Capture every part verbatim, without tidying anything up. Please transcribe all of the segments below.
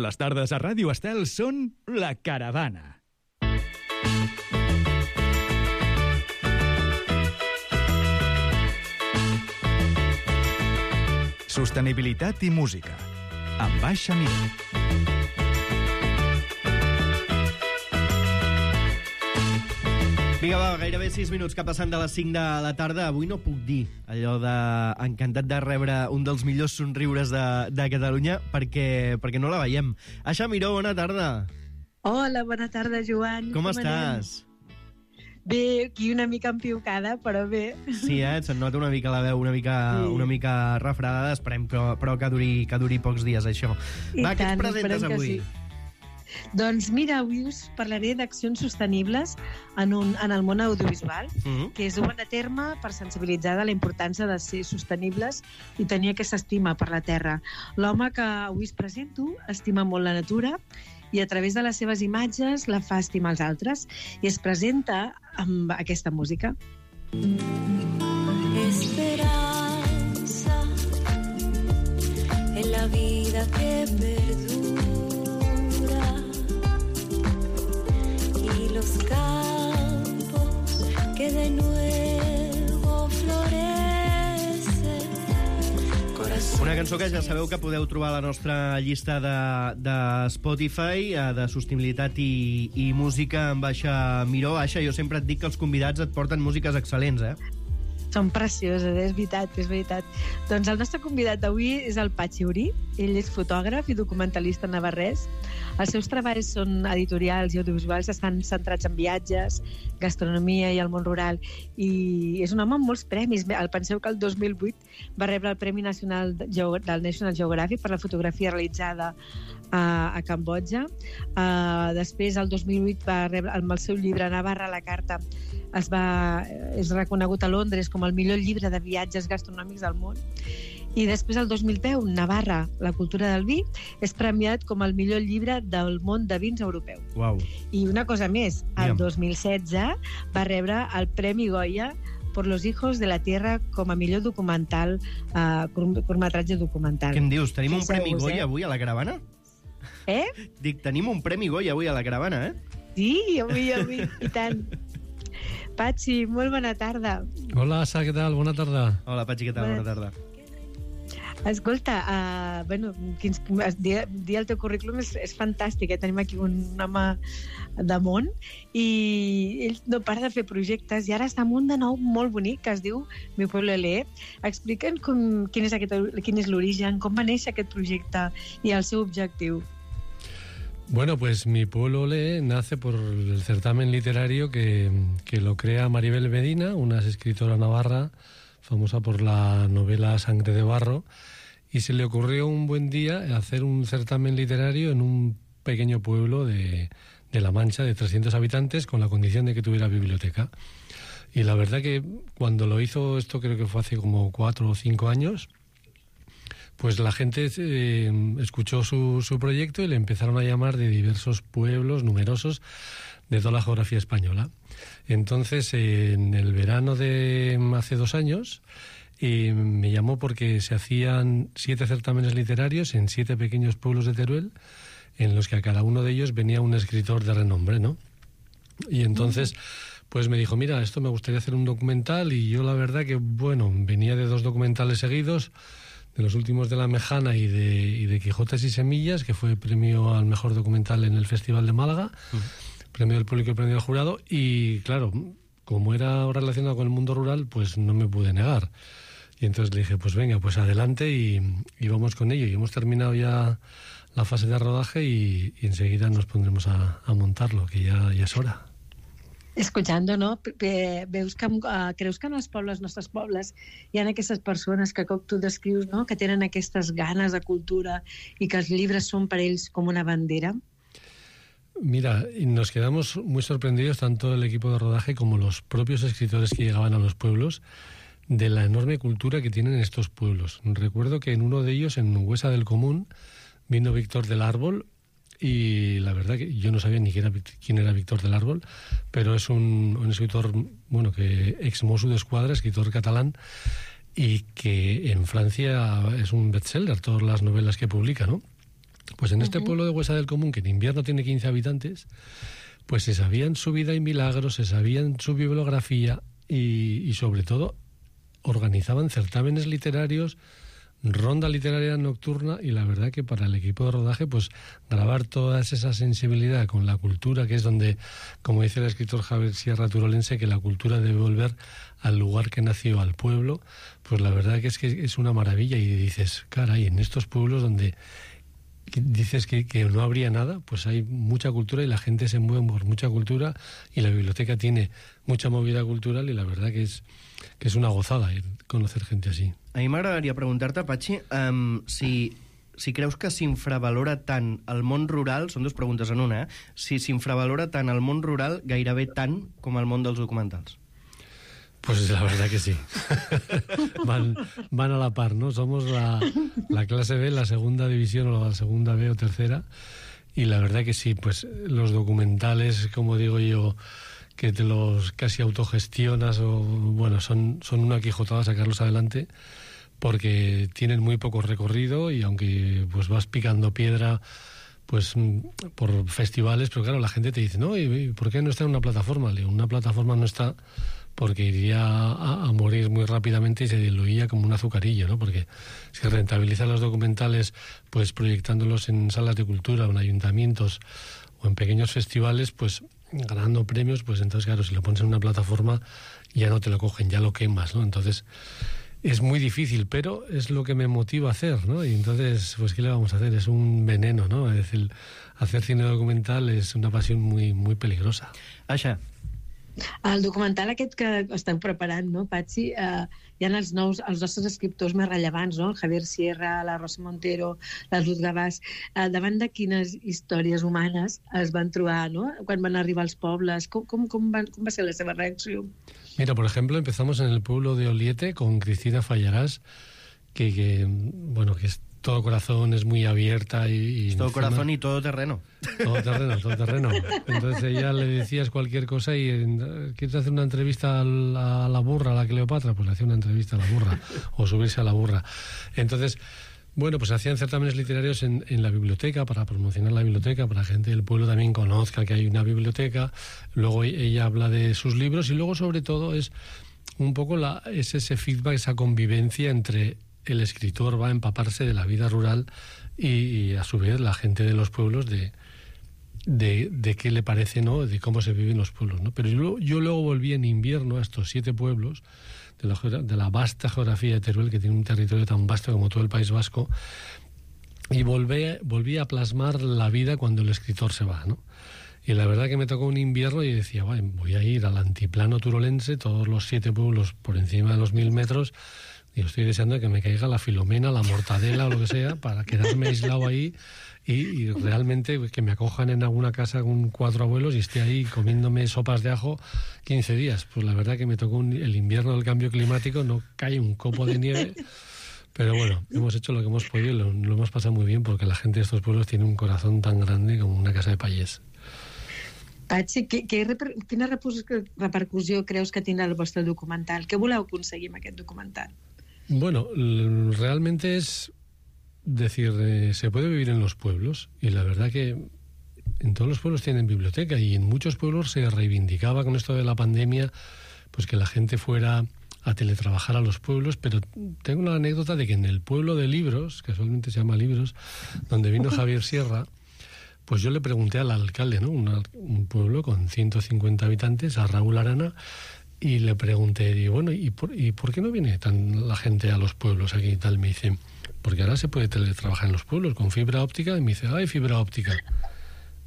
Les tardes a Ràdio Estel són La Caravana. Sostenibilitat i música, amb Baixa Mir. Vinga, va, gairebé sis minuts que passen de les cinc de la tarda. Avui no puc dir allò de encantat de rebre un dels millors somriures de, de Catalunya perquè, perquè no la veiem. Aixa Miró, bona tarda. Hola, bona tarda, Joan. Com, Com estàs? Anem? Bé, aquí una mica empiucada, però bé. Sí, eh? Se'n nota una mica la veu, una mica, sí. una mica refredada. Esperem que, però que duri, que duri pocs dies, això. I va, tant, què ens presentes avui? sí. Doncs mira, avui us parlaré d'accions sostenibles en, un, en el món audiovisual, uh-huh. que es duen a terme per sensibilitzar de la importància de ser sostenibles i tenir aquesta estima per la terra. L'home que avui us presento estima molt la natura i a través de les seves imatges la fa estimar els altres i es presenta amb aquesta música. Esperanza en la vida que perdura y los campos que de nuevo florecen. Una cançó que ja sabeu que podeu trobar a la nostra llista de, de Spotify, de sostenibilitat i, i música amb Aixa Miró. Aixa, jo sempre et dic que els convidats et porten músiques excel·lents, eh? Són precioses, és veritat, és veritat. Doncs el nostre convidat d'avui és el Patxi Urí. Ell és fotògraf i documentalista navarrès. Els seus treballs són editorials i audiovisuals, estan centrats en viatges, gastronomia i el món rural. I és un home amb molts premis. Penseu que el dos mil vuit va rebre el Premi Nacional del National Geographic per la fotografia realitzada a, a Cambodja. Uh, després, el dos mil vuit, va rebre, amb el seu llibre Navarra a la carta, es va, és reconegut a Londres com el millor llibre de viatges gastronòmics del món. I després, el dos mil deu, Navarra, la cultura del vi, és premiat com el millor llibre del món de vins europeu. Uau. I una cosa més, el dos mil setze va rebre el Premi Goya por los hijos de la tierra com a millor documental, uh, curtmetratge documental. Què em dius? Tenim un Premi Goya eh? avui a la caravana? Eh? Dic, tenim un Premi Goya avui a la caravana, eh? Sí, avui, avui, i tant. Patxi, molt bona tarda. Hola, Asa, què tal? Bona tarda. Hola, Patxi, què tal? Bona tarda. Escolta, uh, bueno, quins, dir, dir el teu currículum és, és fantàstic, eh? Tenim aquí un home de món i ell no para de fer projectes i ara està amb un de nou molt bonic que es diu Mi Pueblo L E. Explica'ns com, quin és, aquest, quin és l'origen, com va néixer aquest projecte i el seu objectiu. Bueno, pues Mi Pueblo Lee nace por el certamen literario que, que lo crea Maribel Medina, una escritora navarra famosa por la novela Sangre de Barro, y se le ocurrió un buen día hacer un certamen literario en un pequeño pueblo de, de La Mancha de trescientos habitantes con la condición de que tuviera biblioteca. Y la verdad que cuando lo hizo, esto creo que fue hace como cuatro o cinco años, pues la gente eh, escuchó su, su proyecto y le empezaron a llamar de diversos pueblos numerosos de toda la geografía española. Entonces, eh, en el verano de hace dos años, eh, me llamó porque se hacían siete certámenes literarios en siete pequeños pueblos de Teruel, en los que a cada uno de ellos venía un escritor de renombre, ¿no? Y entonces, pues me dijo, mira, esto me gustaría hacer un documental, y yo la verdad que, bueno, venía de dos documentales seguidos, de los últimos de La Mejana y de, y de Quijotes y Semillas, que fue premio al mejor documental en el Festival de Málaga, uh-huh. premio del público y premio del jurado, y claro, como era relacionado con el mundo rural, pues no me pude negar. Y entonces le dije, pues venga, pues adelante y, y vamos con ello. Y hemos terminado ya la fase de rodaje y, y enseguida nos pondremos a, a montarlo, que ya, ya es hora. Escoltant, no? Veus que, uh, creus que en els pobles, els nostres pobles, hi ha aquestes persones que, com tu descrius, no? Que tenen aquestes ganes de cultura i que els llibres són per ells com una bandera? Mira, nos quedamos muy sorprendidos, tanto el equipo de rodaje como los propios escritores que llegaban a los pueblos, de la enorme cultura que tienen estos pueblos. Recuerdo que en uno de ellos, en Huesa del Común, vino Víctor del Árbol, y la verdad que yo no sabía ni quién era, quién era Víctor del Árbol, pero es un, un escritor, bueno, que ex Mosso d'Esquadra, escritor catalán, y que en Francia es un bestseller, todas las novelas que publica, ¿no? Pues en este Ujú. pueblo de Huesa del Común, que en invierno tiene quince habitantes, pues se sabían su vida y milagros, se sabían su bibliografía y, y sobre todo organizaban certámenes literarios, ronda literaria nocturna, y la verdad que para el equipo de rodaje, pues grabar toda esa sensibilidad con la cultura, que es donde, como dice el escritor Javier Sierra Turolense, que la cultura debe volver al lugar que nació, al pueblo, pues la verdad que es que es una maravilla. Y dices, caray, en estos pueblos donde dices que, que no habría nada, pues hay mucha cultura y la gente se mueve por mucha cultura, y la biblioteca tiene mucha movida cultural, y la verdad que es, que es una gozada ir, conocer gente así. A mi m'agradaria preguntar-te, Patxi, um, si, si creus que s'infravalora tant el món rural, són dues preguntes en una, eh? Si s'infravalora tant el món rural gairebé tant com el món dels documentals. Pues la verdad que sí. van, van a la par, ¿no? Somos la, la clase B, la segunda división o la segunda B o tercera, y la verdad que sí, pues los documentales, como digo yo, que te los casi autogestionas, o bueno, son, son una quijotada sacarlos adelante, porque tienen muy poco recorrido, y aunque pues vas picando piedra pues por festivales, pero claro, la gente te dice, no, ¿y por qué no está en una plataforma? Le digo, una plataforma no está porque iría a, a morir muy rápidamente y se diluía como un azucarillo, ¿no? Porque si rentabilizas los documentales pues proyectándolos en salas de cultura o en ayuntamientos o en pequeños festivales, pues ganando premios, pues entonces claro, si lo pones en una plataforma ya no te lo cogen, ya lo quemas, ¿no? Entonces es muy difícil, pero es lo que me motiva a hacer, ¿no? Y entonces, pues ¿qué le vamos a hacer? Es un veneno, ¿no? Es decir, hacer cine documental és una passió muy, muy peligrosa. Aixa. El documental aquest que esteu preparant, no, Patxi, eh, hi ha els, nous, els nostres escriptors més rellevants, no? El Javier Sierra, la Rosa Montero, la Ruth Gavàs. Eh, davant de quines històries humanes es van trobar, no?, quan van arribar als pobles? Com, com, com, van, com va ser la seva reacció? Mira, por ejemplo, empezamos en el pueblo de Oliete con Cristina Fallarás, que, que bueno, que es todo corazón, es muy abierta y... y todo encima, corazón y todo terreno. Todo terreno, todo terreno. Entonces ella le decías cualquier cosa y ¿quieres hacer una entrevista a la, a la burra, a la Cleopatra? Pues le hacía una entrevista a la burra, o subirse a la burra. Entonces, bueno, pues hacían certámenes literarios en, en la biblioteca, para promocionar la biblioteca, para que la gente del pueblo también conozca que hay una biblioteca. Luego ella habla de sus libros, y luego sobre todo es un poco la, es ese feedback, esa convivencia entre el escritor, va a empaparse de la vida rural y, y a su vez la gente de los pueblos de, de, de qué le parece, ¿no?, de cómo se viven los pueblos, ¿no? Pero yo, yo luego volví en invierno a estos siete pueblos de la, de la vasta geografía de Teruel, que tiene un territorio tan vasto como todo el País Vasco, y volví, volví a plasmar la vida cuando el escritor se va, ¿no? Y la verdad que me tocó un invierno y decía, bueno, voy a ir al antiplano turolense, todos los siete pueblos por encima de los mil metros, y estoy deseando que me caiga la Filomena, la Mortadela o lo que sea, para quedarme aislado ahí y, y realmente que me acojan en alguna casa con cuatro abuelos y esté ahí comiéndome sopas de ajo quince días. Pues la verdad que me tocó un, el invierno del cambio climático, no cae un copo de nieve, pero bueno, hemos hecho lo que hemos podido y lo, lo hemos pasado muy bien, porque la gente de estos pueblos tiene un corazón tan grande como una casa de payés. Patxi, que, que, quina repercussió creus que tindrà el vostre documental? Què voleu aconseguir amb aquest documental? Bueno, realmente es decir, eh, se puede vivir en los pueblos, y la verdad que en todos los pueblos tienen biblioteca, y en muchos pueblos se reivindicaba con esto de la pandemia, pues que la gente fuera a teletrabajar a los pueblos, pero tengo una anécdota de que en el pueblo de Libros, casualmente se llama Libros, donde vino Javier Sierra, pues yo le pregunté al alcalde, ¿no?, Una, un pueblo con ciento cincuenta habitantes, a Raúl Arana, y le pregunté, digo, bueno, ¿y por, ¿y por qué no viene tan la gente a los pueblos aquí y tal? Me dice, porque ahora se puede teletrabajar en los pueblos con fibra óptica. Y me dice, ¡ay, fibra óptica!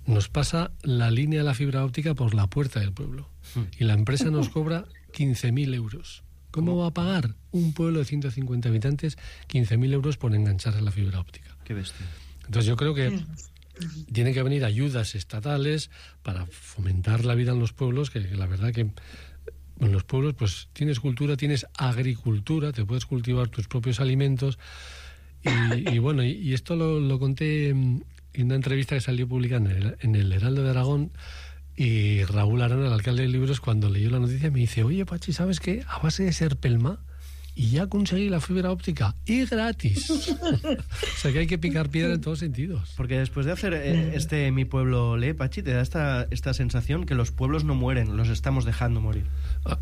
Nos pasa la línea de la fibra óptica por la puerta del pueblo. Y la empresa nos cobra quince mil euros. ¿Cómo va a pagar un pueblo de ciento cincuenta habitantes quince mil euros por engancharse a la fibra óptica? Qué bestia. Entonces yo creo que tienen que venir ayudas estatales para fomentar la vida en los pueblos, que, que la verdad que en los pueblos pues tienes cultura, tienes agricultura, te puedes cultivar tus propios alimentos, y, y bueno, y, y esto lo, lo conté en una entrevista que salió publicada en el, en el Heraldo de Aragón, y Raúl Arana, el alcalde de Libros, cuando leyó la noticia me dice, oye, Pachi, ¿sabes qué? A base de ser pelma y ya conseguí la fibra óptica y gratis. O sea que hay que picar piedra en todos sentidos. Porque después de hacer eh, este Mi Pueblo Lee, Pachi, te da esta, esta sensación que los pueblos no mueren, los estamos dejando morir.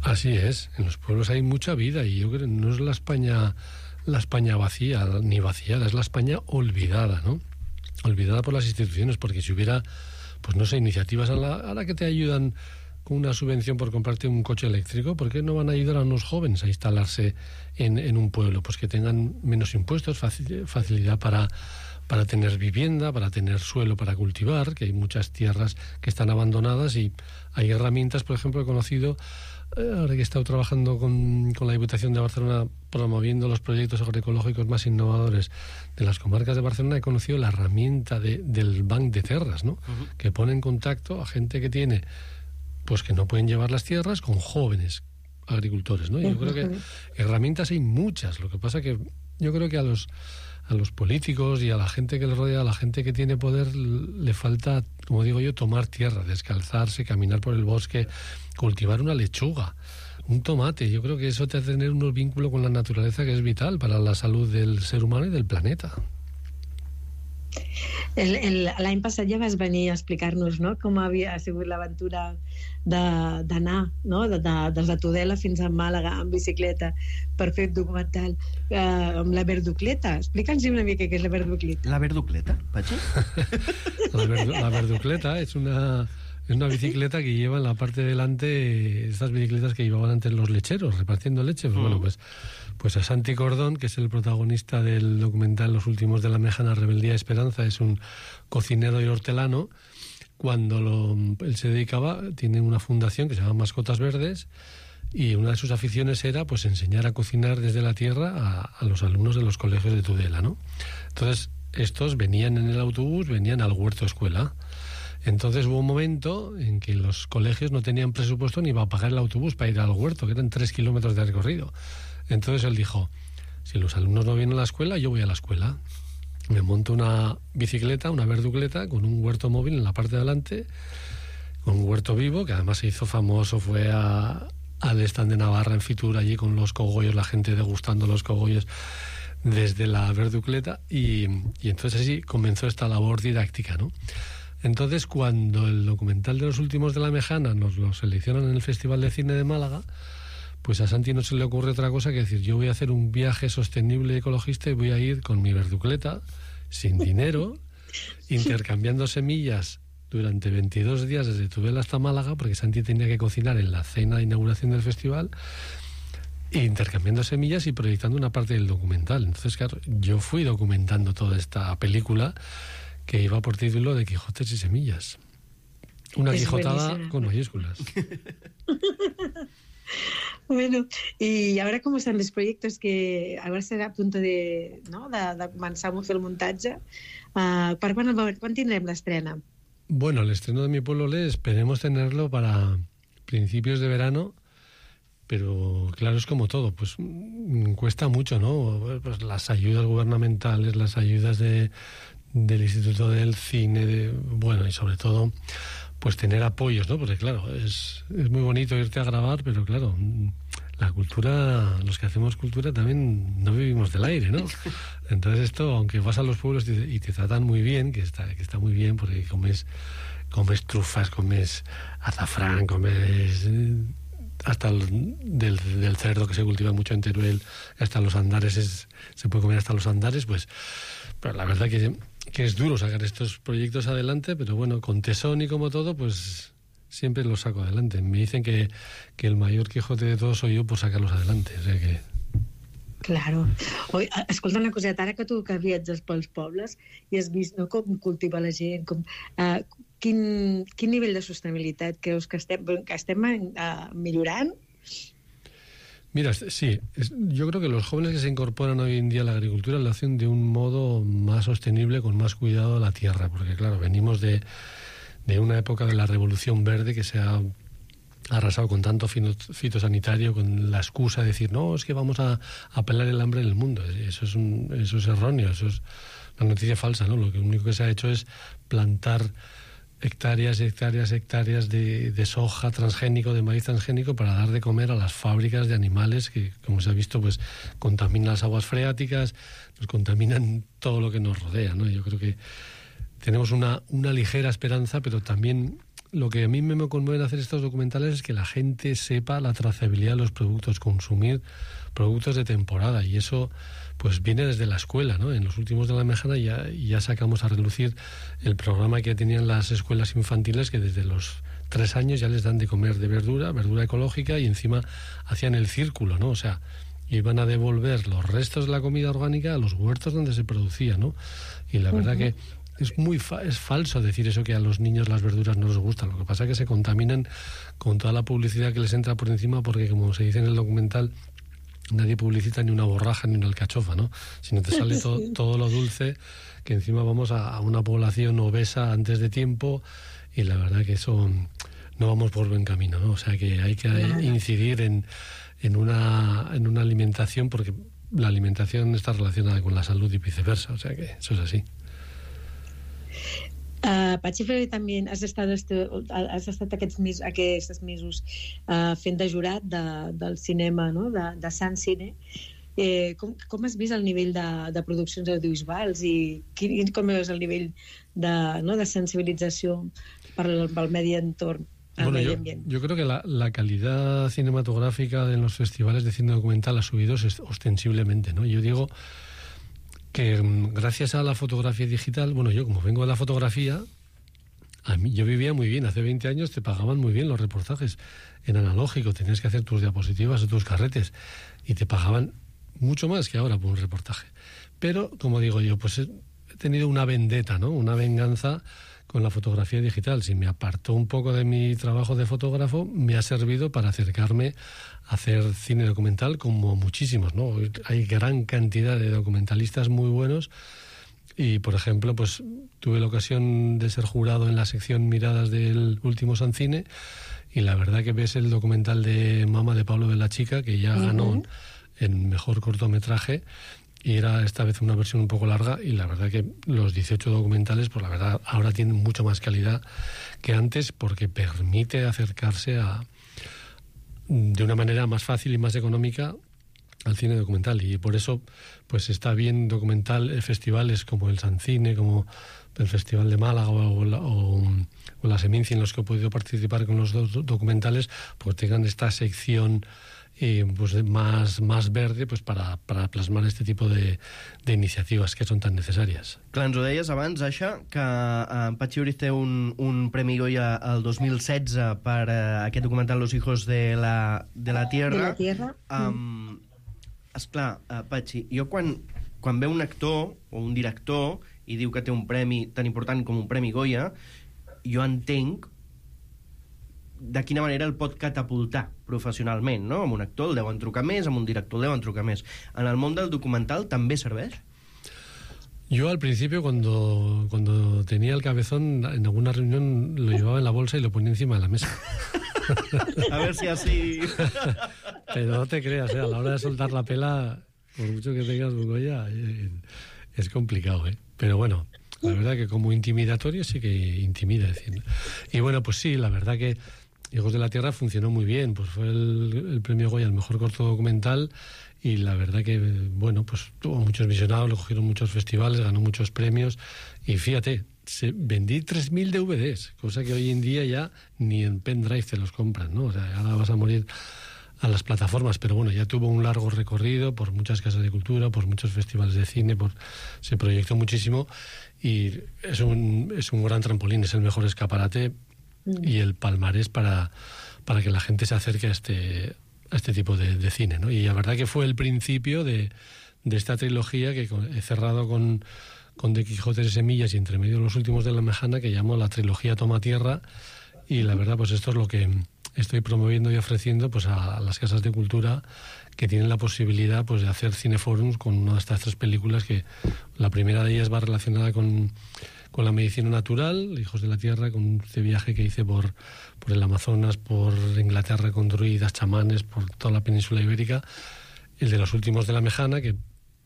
Así es, en los pueblos hay mucha vida y yo creo que no es la España, la España vacía, ni vaciada, es la España olvidada, ¿no? Olvidada por las instituciones, porque si hubiera, pues no sé, iniciativas a la, a la que te ayudan con una subvención por comprarte un coche eléctrico, ¿por qué no van a ayudar a unos jóvenes a instalarse en, en un pueblo? Pues que tengan menos impuestos, facilidad para, para tener vivienda, para tener suelo para cultivar, que hay muchas tierras que están abandonadas y hay herramientas, por ejemplo, he conocido, eh, ahora que he estado trabajando con, con la Diputación de Barcelona promoviendo los proyectos agroecológicos más innovadores de las comarcas de Barcelona, he conocido la herramienta de, del Banc de Terras, ¿no? Uh-huh. Que pone en contacto a gente que tiene, pues que no pueden llevar las tierras con jóvenes agricultores, ¿no? Yo creo que herramientas hay muchas, lo que pasa que yo creo que a los a los políticos y a la gente que les rodea, a la gente que tiene poder, le falta, como digo yo, tomar tierra, descalzarse, caminar por el bosque, cultivar una lechuga, un tomate. Yo creo que eso te hace tener un vínculo con la naturaleza que es vital para la salud del ser humano y del planeta. L'any passat ja vas venir a explicar-nos, no?, com havia sigut l'aventura d'anar, no?, de, de, des de Tudela fins a Màlaga en bicicleta per fer un documental eh, amb la verducleta. Explica'ns una mica què és la verducleta. ¿La verducleta, Pachi? la, verdu la verducleta es una... Es una bicicleta que lleva en la parte de delante estas bicicletas que llevaban antes los lecheros, repartiendo leche. Pues, mm. bueno, pues, pues a Santi Cordón, que es el protagonista del documental Los últimos de la Mejana, Rebeldía y Esperanza, es un cocinero y hortelano. Cuando lo, él se dedicaba, tiene una fundación que se llama Mascotas Verdes, y una de sus aficiones era pues enseñar a cocinar desde la tierra a, a los alumnos de los colegios de Tudela, ¿no? Entonces, estos venían en el autobús, venían al huerto escuela. Entonces hubo un momento en que los colegios no tenían presupuesto ni para pagar el autobús para ir al huerto, que eran tres kilómetros de recorrido. Entonces él dijo, si los alumnos no vienen a la escuela, yo voy a la escuela. Me monto una bicicleta, una verducleta, con un huerto móvil en la parte de adelante, con un huerto vivo, que además se hizo famoso, fue a, al stand de Navarra en Fitur, allí con los cogollos, la gente degustando los cogollos desde la verducleta, y, y entonces así comenzó esta labor didáctica, ¿no? Entonces, cuando el documental de Los últimos de la Mejana nos lo seleccionan en el Festival de Cine de Málaga, pues a Santi no se le ocurre otra cosa que decir, yo voy a hacer un viaje sostenible y ecologista y voy a ir con mi verducleta, sin dinero, intercambiando semillas durante veintidós días desde Tudela hasta Málaga, porque Santi tenía que cocinar en la cena de inauguración del festival, e intercambiando semillas y proyectando una parte del documental. Entonces, claro, yo fui documentando toda esta película que iba por título de Quijotes y Semillas. Una es quijotada buenísima. Con mayúsculas. Bueno, y ahora cómo están los proyectos que ahora estarà a punto de, no, de, de començar a fer el muntatge. Uh, per quan, quan tindrem l'estrena? Bueno, el estreno de Mi Pueblo Lee esperemos tenerlo para principios de verano, pero claro, es como todo, pues cuesta mucho, ¿no? Pues las ayudas gubernamentales, las ayudas de del Instituto del Cine, de, bueno, y sobre todo pues tener apoyos, ¿no? Porque claro, es, es muy bonito irte a grabar, pero claro, la cultura, los que hacemos cultura también no vivimos del aire, ¿no? Entonces esto, aunque vas a los pueblos y te, y te tratan muy bien, que está, que está muy bien porque comes, comes trufas, comes azafrán, comes hasta el, del, del cerdo que se cultiva mucho en Teruel, hasta los andares, es, se puede comer hasta los andares, pues pero la verdad que, que es duro sacar estos proyectos adelante, pero bueno, con tesón y como todo, pues siempre los saco adelante. Me dicen que, que el mayor Quijote de todos soy yo por sacarlos adelante, o sea que... Claro. Oi, escolta una coseta, ara que tu que viatges pels pobles i has vist, no, com cultiva la gent, com, uh, quin, quin nivell de sostenibilitat creus que estem, que estem uh, millorant? Mira, sí, es, yo creo que los jóvenes que se incorporan hoy en día a la agricultura lo hacen de un modo más sostenible, con más cuidado a la tierra, porque claro, venimos de, de una época de la Revolución Verde que se ha arrasado con tanto fitosanitario, con la excusa de decir, no, es que vamos a, a pelar el hambre en el mundo. Eso es, un, eso es erróneo, eso es una noticia falsa, ¿no? Lo que único que se ha hecho es plantar hectáreas, hectáreas, hectáreas de, de soja transgénico, de maíz transgénico para dar de comer a las fábricas de animales que, como se ha visto, pues contaminan las aguas freáticas, nos contaminan todo lo que nos rodea, ¿no? Yo creo que tenemos una, una ligera esperanza, pero también lo que a mí me conmueve hacer estos documentales es que la gente sepa la trazabilidad de los productos, consumir productos de temporada, y eso pues viene desde la escuela, ¿no? En los últimos de la Mejana ya, ya sacamos a relucir el programa que tenían las escuelas infantiles, que desde los tres años ya les dan de comer de verdura, verdura ecológica, y encima hacían el círculo, ¿no? O sea, iban a devolver los restos de la comida orgánica a los huertos donde se producía, ¿no? Y la verdad uh-huh. que es muy fa- es falso decir eso, que a los niños las verduras no les gustan. Lo que pasa es que se contaminan con toda la publicidad que les entra por encima, porque, como se dice en el documental, nadie publicita ni una borraja ni una alcachofa, ¿no? Sino te sale to- sí. todo lo dulce, que encima vamos a, a una población obesa antes de tiempo, y la verdad que eso no vamos por buen camino, ¿no? O sea que hay que claro. incidir en, en, una, en una alimentación, porque la alimentación está relacionada con la salud y viceversa, o sea que eso es así. Uh, Patxi Fleury, també has estat, has estat aquests, mes, aquests mesos uh, fent de jurat de, del cinema, no? de, de Sant Cine. Eh, com, com has vist el nivell de, de produccions audiovisuals i quin, com és el nivell de, no? de sensibilització per al medi entorn? Bueno, yo, yo creo que la, la calidad cinematográfica en los festivales de cine documental ha subido ostensiblemente, ¿no? Yo digo que gracias a la fotografía digital, bueno, yo como vengo de la fotografía, a mí, yo vivía muy bien. Hace veinte años te pagaban muy bien los reportajes en analógico, tenías que hacer tus diapositivas o tus carretes y te pagaban mucho más que ahora por un reportaje. Pero, como digo yo, pues he tenido una vendetta, ¿no? Una venganza con la fotografía digital. Si me apartó un poco de mi trabajo de fotógrafo, me ha servido para acercarme a hacer cine documental, como muchísimos, ¿no? Hay gran cantidad de documentalistas muy buenos, y, por ejemplo, pues tuve la ocasión de ser jurado en la sección Miradas del último Sancine, y la verdad que ves el documental de Mama, de Pablo de la Chica, que ya uh-huh. ganó en mejor cortometraje, y era esta vez una versión un poco larga, y la verdad que los dieciocho documentales, pues la verdad, ahora tienen mucho más calidad que antes, porque permite acercarse a de una manera más fácil y más económica al cine documental, y por eso pues está bien documental festivales como el Sancine, como el Festival de Málaga o la, o, o la Seminci, en los que he podido participar con los dos documentales, pues tengan esta sección eh, pues más, más verde, pues para, para plasmar este tipo de, de iniciativas que son tan necessàries. Clar, ens ho deies abans, Aixa, que en Patxi Fleury té un, un Premi Goya el dos mil setze per uh, aquest documental Los hijos de la, de la tierra. De la tierra. Um, esclar, uh, Patxi, jo quan, quan veu un actor o un director i diu que té un premi tan important com un Premi Goya, jo entenc de quina manera el pot catapultar professionalment, no? Amb un actor el deuen trucar més, amb un director el deuen trucar més. En el món del documental també serveix? Yo al principio, cuando, cuando tenía el cabezón, en alguna reunión lo llevaba en la bolsa y lo ponía encima de la mesa. A ver si así... Pero no te creas, ¿eh? A la hora de soltar la pela, por mucho que tengas un Goya, es complicado, ¿eh? Pero bueno, la verdad que como intimidatorio sí que intimida. Decir. Y bueno, pues sí, la verdad que Hijos de la Tierra funcionó muy bien, pues fue el, el premio Goya al mejor corto documental, y la verdad que, bueno, pues tuvo muchos visionados, lo cogieron muchos festivales, ganó muchos premios, y fíjate, se, vendí tres mil D V Ds, cosa que hoy en día ya ni en pendrive te los compran, ¿no? O sea, ahora vas a morir a las plataformas, pero bueno, ya tuvo un largo recorrido por muchas casas de cultura, por muchos festivales de cine, por, se proyectó muchísimo, y es un, es un gran trampolín, es el mejor escaparate y el palmarés para, para que la gente se acerque a este, a este tipo de, de cine, ¿no? Y la verdad que fue el principio de, de esta trilogía que he cerrado con, con De Quijote de Semillas y entre medio Los últimos de la Mejana, que llamo la trilogía Toma Tierra, y la verdad pues esto es lo que estoy promoviendo y ofreciendo pues a las casas de cultura que tienen la posibilidad pues de hacer cineforums con una de estas tres películas, que la primera de ellas va relacionada con, con la medicina natural, Hijos de la Tierra, con este viaje que hice por, por el Amazonas, por Inglaterra con druidas, chamanes, por toda la península ibérica. El de Los últimos de la Mejana, que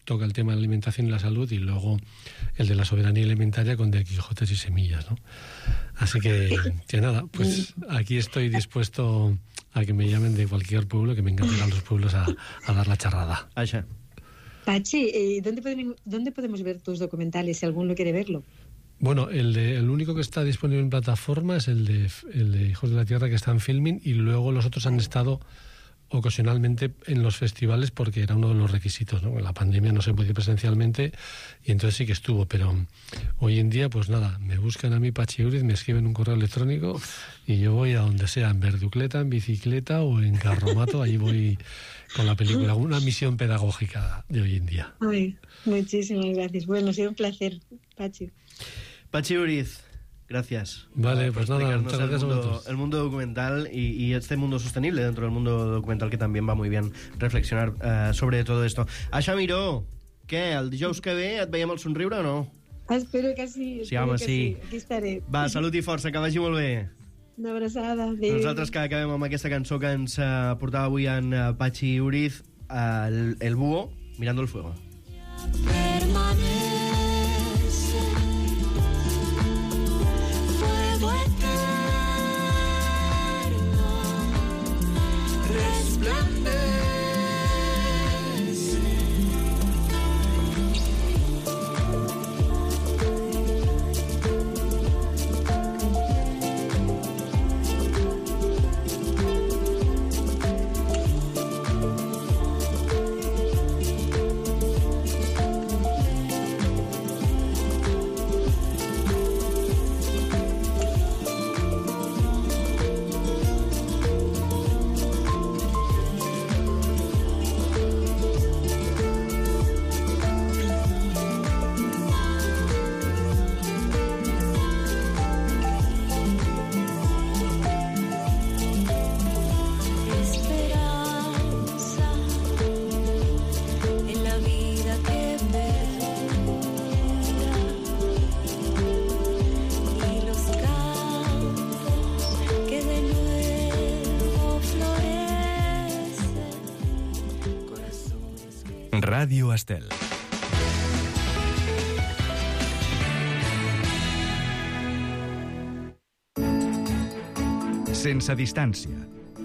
toca el tema de la alimentación y la salud, y luego el de la soberanía alimentaria con de Quijotes y semillas, ¿no? Así que, que nada, pues aquí estoy dispuesto a que me llamen de cualquier pueblo, que me encanta ir a los pueblos a, a dar la charrada. Aixa. Pachi, eh, ¿dónde, podemos, ¿dónde podemos ver tus documentales si alguno quiere verlo? Bueno, el, de, el único que está disponible en plataforma es el de, el de Hijos de la Tierra, que está en Filmin, y luego los otros han estado ocasionalmente en los festivales porque era uno de los requisitos, ¿no? En la pandemia no se podía ir presencialmente y entonces sí que estuvo, pero hoy en día pues nada, me buscan a mí Pachi Uriz, me escriben un correo electrónico y yo voy a donde sea, en verducleta, en bicicleta o en carromato, allí voy con la película, una misión pedagógica de hoy en día. Ay, muchísimas gracias. Bueno, ha sido un placer, Pachi. Pachi Uriz, gracias. Vale, uh, pues nada, muchas gracias el mundo, a vosotros. El mundo documental y, y este mundo sostenible dentro del mundo documental, que también va muy bien reflexionar uh, sobre todo esto. Aixa Miró, què, el dijous que ve et veiem al somriure o no? Espero que sí. Sí, home, que sí. sí. Aquí estaré. Va, salut i força, que vagi molt bé. Una abraçada. Adéu. Nosaltres que acabem amb aquesta cançó que ens uh, portava avui en uh, Pachi Uriz, uh, el, el búho, Mirando el fuego. Permanece fuego eterno, resplandece. Ràdio Estel. Sense distància.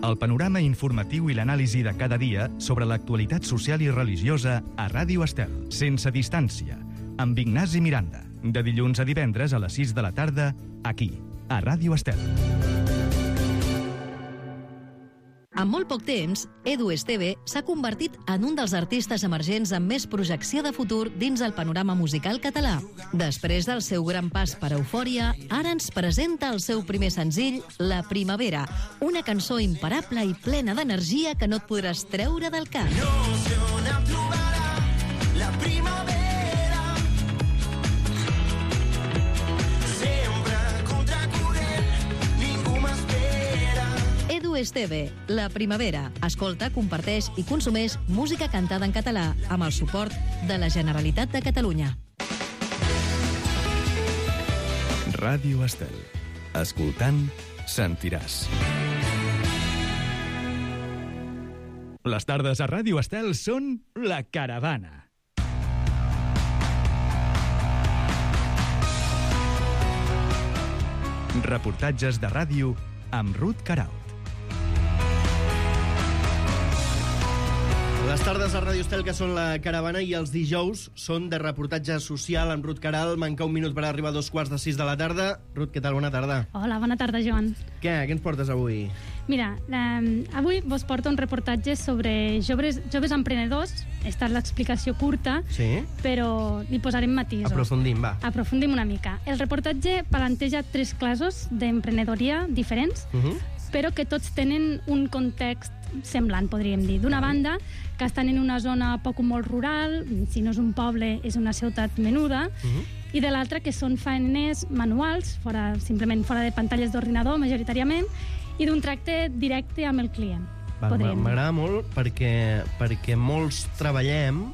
El panorama informatiu i l'anàlisi de cada dia sobre l'actualitat social i religiosa a Ràdio Estel. Sense distància, amb Ignasi Miranda. De dilluns a divendres a les sis de la tarda, aquí, a Ràdio Estel. En molt poc temps, Edu Esteve s'ha convertit en un dels artistes emergents amb més projecció de futur dins el panorama musical català. Després del seu gran pas per Eufòria, ara ens presenta el seu primer senzill, La Primavera, una cançó imparable i plena d'energia que no et podràs treure del cap. La primavera Edu Esteve, La Primavera. Escolta, comparteix i consumeix música cantada en català amb el suport de la Generalitat de Catalunya. Ràdio Estel. Escoltant, sentiràs. Les tardes a Ràdio Estel són La Caravana. Reportatges de ràdio amb Ruth Queralt. Les tardes a Ràdio Estel, que són La Caravana, i els dijous són de reportatge social amb Ruth Queralt. Manca un minut per arribar a dos quarts de sis de la tarda. Ruth, què tal? Bona tarda. Hola, bona tarda, Joan. Què? Què ens portes avui? Mira, eh, avui vos porto un reportatge sobre joves, joves emprenedors. Esta és l'explicació curta, Sí? però li posarem matisos. Aprofundim, va. Aprofundim una mica. El reportatge planteja tres classes d'emprenedoria diferents, Uh -huh. però que tots tenen un context semblant, podríem dir. D'una banda, que estan en una zona poc o molt rural, si no és un poble, és una ciutat menuda, Uh -huh. i de l'altra que són faeners manuals, fora, simplement fora de pantalles d'ordinador, majoritàriament, i d'un tracte directe amb el client. Va, podríem dir. m'agrada molt perquè, perquè molts treballem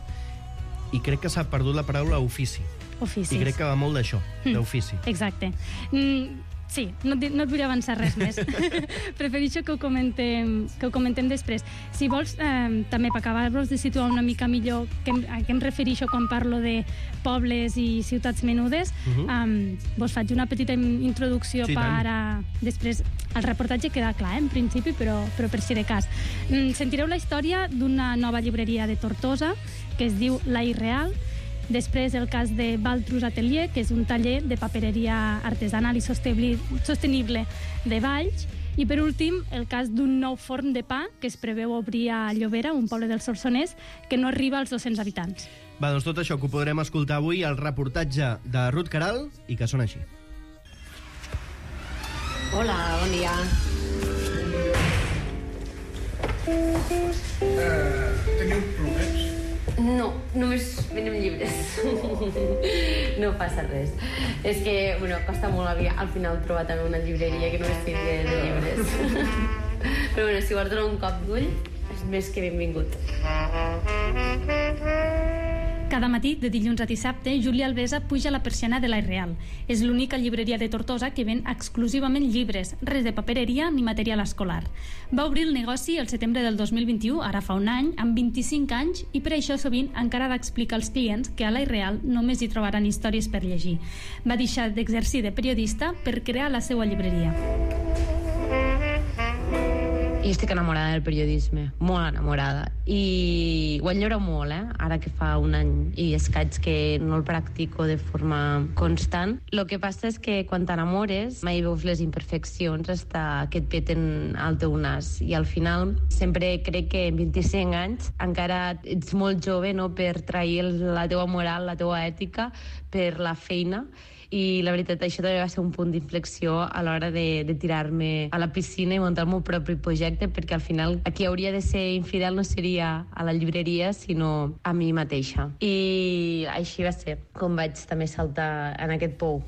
i crec que s'ha perdut la paraula ofici. Oficis. I crec que va molt d'això, Mm. d'ofici. Exacte. Mm, Sí, no, et- no et vull avançar res més. Prefereixo que ho comentem, que ho comentem després. Si vols, eh, també per acabar-vos de situar una mica millor que, em- a què em refereixo quan parlo de pobles i ciutats menudes, Mhm. eh, vos faig una petita in- introducció Sí, per tant. a... Després, el reportatge queda clar, eh, en principi, però, però per si de cas. Mm, sentireu la història d'una nova llibreria de Tortosa que es diu La Irreal. Després el cas de Valtrus Atelier, que és un taller de papereria artesanal i sostenible, sostenible de Valls. I per últim, el cas d'un nou forn de pa que es preveu obrir a Llobera, un poble del Solsonès, que no arriba als dos-cents habitants. Va, doncs tot això que ho podrem escoltar avui al reportatge de Ruth Caral i que sona així. Hola, bon dia. Teniu plomets? No, només venem llibres. No passa res. És que, bueno, costa molt al final trobar també una llibreria que només tingui de llibres. Però bueno, si vols donar un cop d'ull, és més que benvingut. Cada matí, de dilluns a dissabte, Júlia Alvesa puja a la persiana de La Irreal. És l'única llibreria de Tortosa que ven exclusivament llibres, res de papereria ni material escolar. Va obrir el negoci el setembre del dos mil vint-i-u, ara fa un any, amb vint-i-cinc anys, i per això sovint encara ha d'explicar als clients que a La Irreal només hi trobaran històries per llegir. Va deixar d'exercir de periodista per crear la seva llibreria. I estic enamorada del periodisme, molt enamorada. I ho enyoro molt, eh? Ara que fa un any i escaig que no el practico de forma constant. El que passa és que quan t'enamores mai veus les imperfeccions hasta que et peten al teu nas. I al final sempre crec que en vint-i-cinc anys encara ets molt jove, no?, per trair la teua moral, la teua ètica per la feina. I la veritat, això també va ser un punt d'inflexió a l'hora de, de tirar-me a la piscina i muntar el meu propi projecte, perquè al final a qui hauria de ser infidel no seria a la llibreria, sinó a mi mateixa. I així va ser com vaig també saltar en aquest pou.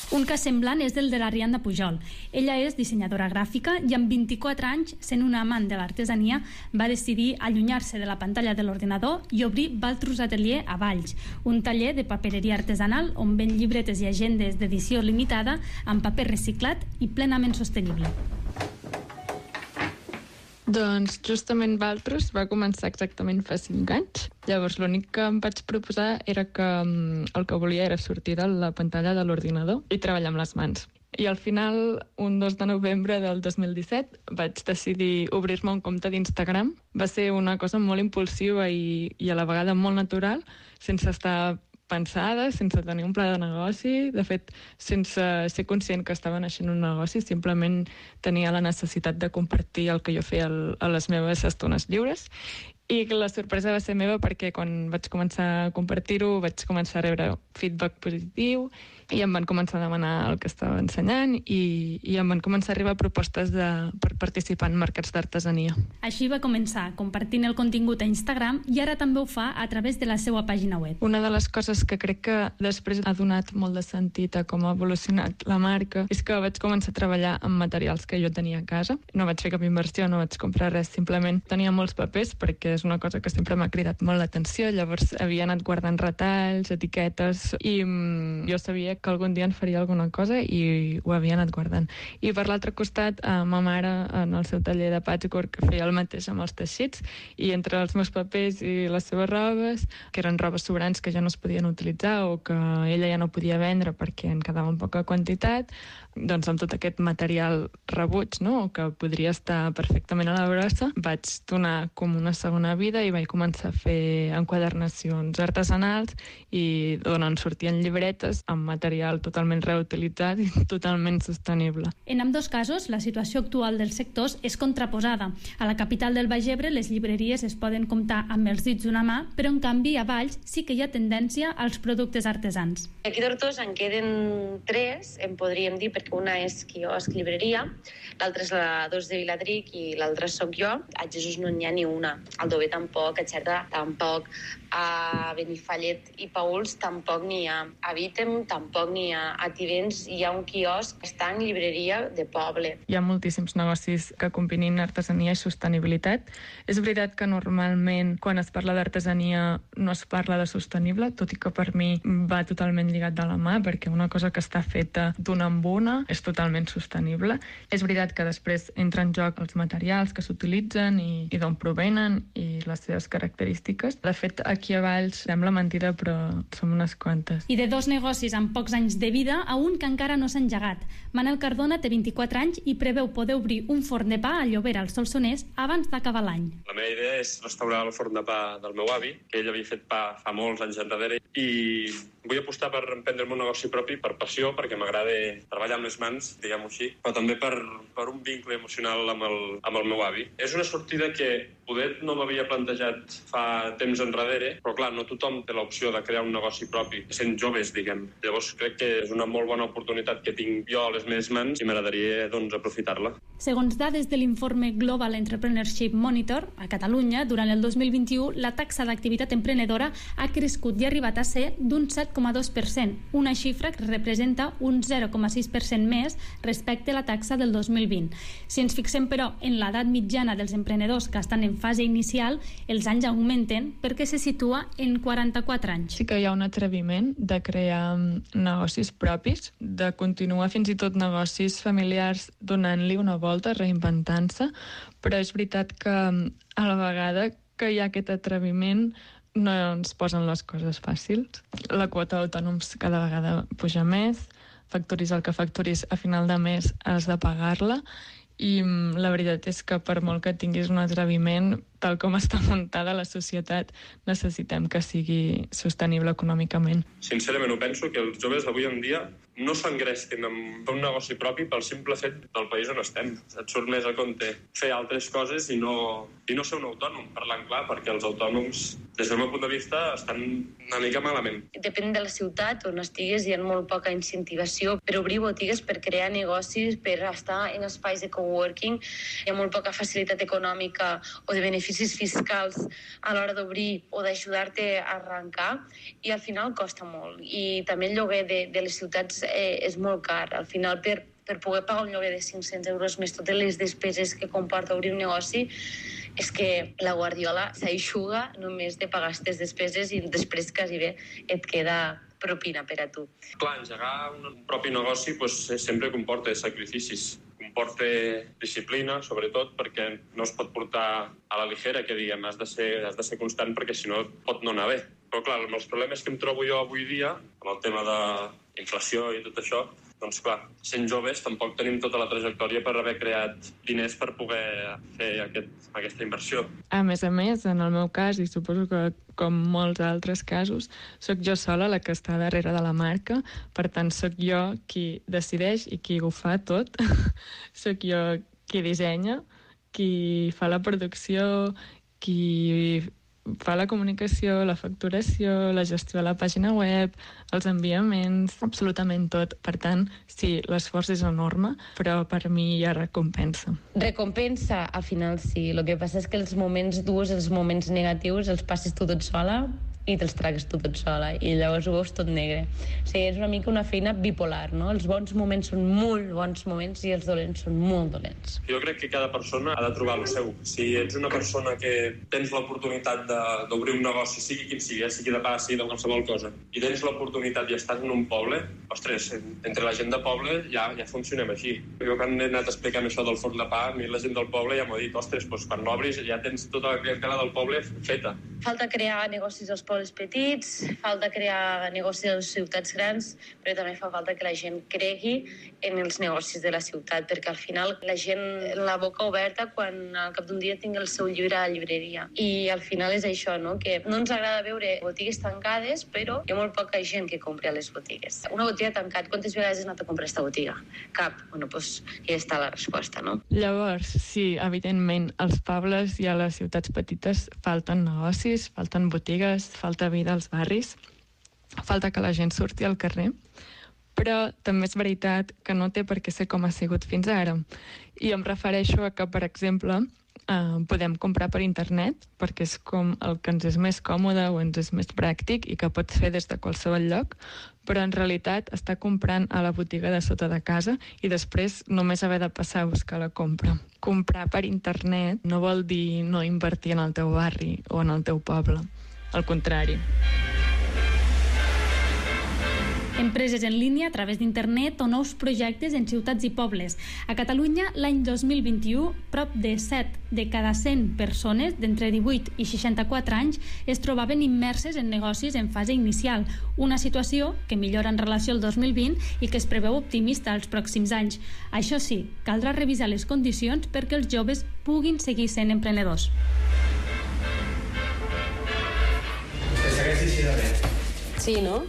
Un cas semblant és el de l'Ariadna Pujol. Ella és dissenyadora gràfica i amb vint-i-quatre anys, sent una amant de l'artesania, va decidir allunyar-se de la pantalla de l'ordinador i obrir Valtrus Atelier a Valls, un taller de papereria artesanal on ven llibretes i agendes d'edició limitada amb paper reciclat i plenament sostenible. Doncs justament Valtrus va començar exactament fa cinc anys. Llavors l'únic que em vaig proposar era que um, el que volia era sortir de la pantalla de l'ordinador i treballar amb les mans. I al final, un dos de novembre del dos mil disset, vaig decidir obrir-me un compte d'Instagram. Va ser una cosa molt impulsiva i, i a la vegada molt natural, sense estar pensada, sense tenir un pla de negoci, de fet, sense ser conscient que estava naixent un negoci, simplement tenia la necessitat de compartir el que jo feia a les meves estones lliures. I la sorpresa va ser meva perquè quan vaig començar a compartir-ho vaig començar a rebre feedback positiu i em van començar a demanar el que estava ensenyant i, i em van començar a arribar propostes de, per participar en mercats d'artesania. Així va començar, compartint el contingut a Instagram i ara també ho fa a través de la seva pàgina web. Una de les coses que crec que després ha donat molt de sentit a com ha evolucionat la marca és que vaig començar a treballar amb materials que jo tenia a casa. No vaig fer cap inversió, no vaig comprar res, simplement tenia molts papers perquè és una cosa que sempre m'ha cridat molt l'atenció, llavors havia anat guardant retalls, etiquetes i mm, jo sabia que algun dia en faria alguna cosa i ho havia anat guardant. I per l'altre costat, eh, ma mare en el seu taller de patchwork feia el mateix amb els teixits i entre els meus papers i les seves robes, que eren robes sobrants que ja no es podien utilitzar o que ella ja no podia vendre perquè en quedava en poca quantitat, doncs amb tot aquest material rebuig, no?, o que podria estar perfectament a la brossa, vaig donar com una segona vida i vaig començar a fer enquadernacions artesanals i d'on en sortien llibretes amb material totalment reutilitzat i totalment sostenible. En ambdós casos, la situació actual dels sectors és contraposada. A la capital del Baix Ebre, les llibreries es poden comptar amb els dits d'una mà, però en canvi a Valls sí que hi ha tendència als productes artesans. Aquí a Tortosa en queden tres, en podríem dir, perquè una és quiosc llibreria, l'altra és la dos de Viladric i l'altra sóc jo. A Jesús no n'hi ha ni una. Al Jove tampoc, a Xerta tampoc, a Benifallet i Pauls tampoc n'hi ha, a Vítem tampoc n'hi ha, a Tivenys hi ha un quiosc que està en llibreria de poble. Hi ha moltíssims negocis que combinin artesania i sostenibilitat. És veritat que normalment quan es parla d'artesania no es parla de sostenible, tot i que per mi va totalment lligat de la mà, perquè una cosa que està feta d'una en una és totalment sostenible. És veritat que després entra en joc els materials que s'utilitzen i, i d'on provenen i les seves característiques. De fet, aquí a Valls sembla mentida, però som unes quantes. I de dos negocis amb pocs anys de vida a un que encara no s'ha engegat. Manel Cardona té vint-i-quatre anys i preveu poder obrir un forn de pa a Llobera, al Solsonès, abans d'acabar l'any. La meva idea és restaurar el forn de pa del meu avi, que ell havia fet pa fa molts anys enrere, i vull apostar per emprendre un negoci propi per passió, perquè m'agrada treballar amb les mans, diguem-ho així, però també per, per un vincle emocional amb el, amb el meu avi. És una sortida que poder no m'havia plantejat fa temps enrere, però clar, no tothom té l'opció de crear un negoci propi, sent joves, diguem. Llavors crec que és una molt bona oportunitat que tinc jo a les meves mans i m'agradaria, doncs, aprofitar-la. Segons dades de l'informe Global Entrepreneurship Monitor, a Catalunya, durant el dos mil vint-i-u, la taxa d'activitat emprenedora ha crescut i ha arribat a ser d'un set coma dos per cent, una xifra que representa un zero coma sis per cent més respecte a la taxa del dos mil vint. Si ens fixem, però, en l'edat mitjana dels emprenedors que estan en fase inicial, els anys augmenten perquè se situa en quaranta-quatre anys. Sí que hi ha un atreviment de crear negocis propis, de continuar fins i tot negocis familiars donant-li una volta, reinventant-se, però és veritat que a la vegada que hi ha aquest atreviment no ens posen les coses fàcils. La quota d'autònoms cada vegada puja més, facturis el que facturis a final de mes has de pagar-la, i la veritat és que per molt que tinguis un atreviment, tal com està muntada la societat, necessitem que sigui sostenible econòmicament. Sincerament ho penso, que els joves d'avui en dia no s'engresquin amb un negoci propi pel simple fet del país on estem. Et surt més a compte fer altres coses i no, i no ser un autònom, parlant clar, perquè els autònoms, des del meu punt de vista, estan una mica malament. Depèn de la ciutat on estigues, hi ha molt poca incentivació per obrir botigues, per crear negocis, per estar en espais de coworking. Hi ha molt poca facilitat econòmica o de beneficis fiscals a l'hora d'obrir o d'ajudar-te a arrencar, i al final costa molt. I també el lloguer de, de les ciutats eh, és molt car. Al final, per, per poder pagar un lloguer de cinc-cents euros més totes les despeses que comporta obrir un negoci, és que la guardiola s'aixuga només de pagar aquestes despeses i després quasi bé et queda propina per a tu. Clar, engegar un propi negoci pues, sempre comporta sacrificis. Comporta disciplina, sobretot, perquè no es pot portar a la ligera, que diguem, has de ser, has de ser constant, perquè si no pot no anar bé. Però clar, amb els problemes que em trobo jo avui dia, amb el tema d'inflació i tot això, doncs clar, sent joves tampoc tenim tota la trajectòria per haver creat diners per poder fer aquest, aquesta inversió. A més a més, en el meu cas, i suposo que com molts altres casos, sóc jo sola la que està darrere de la marca, per tant, sóc jo qui decideix i qui ho fa tot. Sóc jo qui dissenya, qui fa la producció, qui fa la comunicació, la facturació, la gestió de la pàgina web, els enviaments, absolutament tot. Per tant, sí, l'esforç és enorme, però per mi hi ha recompensa. Recompensa, al final sí. El que passa és que els moments durs, els moments negatius, els passes tu tot sola i te'ls tragues tu tot sola, i llavors ho veus tot negre. O sigui, és una mica una feina bipolar, no? Els bons moments són molt bons moments i els dolents són molt dolents. Jo crec que cada persona ha de trobar el seu. Si ets una persona que tens l'oportunitat d'obrir un negoci, sigui quin sigui, sigui de pa, sigui de qualsevol cosa, i tens l'oportunitat i estàs en un poble, ostres, entre la gent de poble ja, ja funcionem així. Jo quan he anat explicant això del forn de pa, a mi la gent del poble ja m'ha dit, ostres, doncs quan l'obris ja tens tota la clientela del poble feta. Falta crear negocis als pobles petits, falta crear negocis a les ciutats grans, però també fa falta que la gent cregui en els negocis de la ciutat, perquè al final la gent la boca oberta quan al cap d'un dia tingui el seu llibre a la llibreria. I al final és això, no? Que no ens agrada veure botigues tancades, però hi ha molt poca gent que compri a les botigues. Una botiga tancat, quantes vegades has anat a comprar aquesta botiga? Cap. Bueno, doncs ja està la resposta, no? Llavors, sí, evidentment, als pobles i a les ciutats petites falten negocis, falten botigues, falta vida als barris, falta que la gent surti al carrer, però també és veritat que no té per què ser com ha sigut fins ara. I em refereixo a que, per exemple, eh, podem comprar per internet, perquè és com el que ens és més còmode o ens és més pràctic i que pots fer des de qualsevol lloc, però en realitat està comprant a la botiga de sota de casa i després només haver de passar a buscar la compra. Comprar per internet no vol dir no invertir en el teu barri o en el teu poble. Al contrari. Empreses en línia a través d'internet o nous projectes en ciutats i pobles. A Catalunya, l'any dos mil vint-i-u, prop de set de cada cent persones d'entre divuit i seixanta-quatre anys es trobaven immerses en negocis en fase inicial, una situació que millora en relació al dos mil vint i que es preveu optimista als pròxims anys. Això sí, caldrà revisar les condicions perquè els joves puguin seguir sent emprenedors. Que segueix així de bé. Sí, no?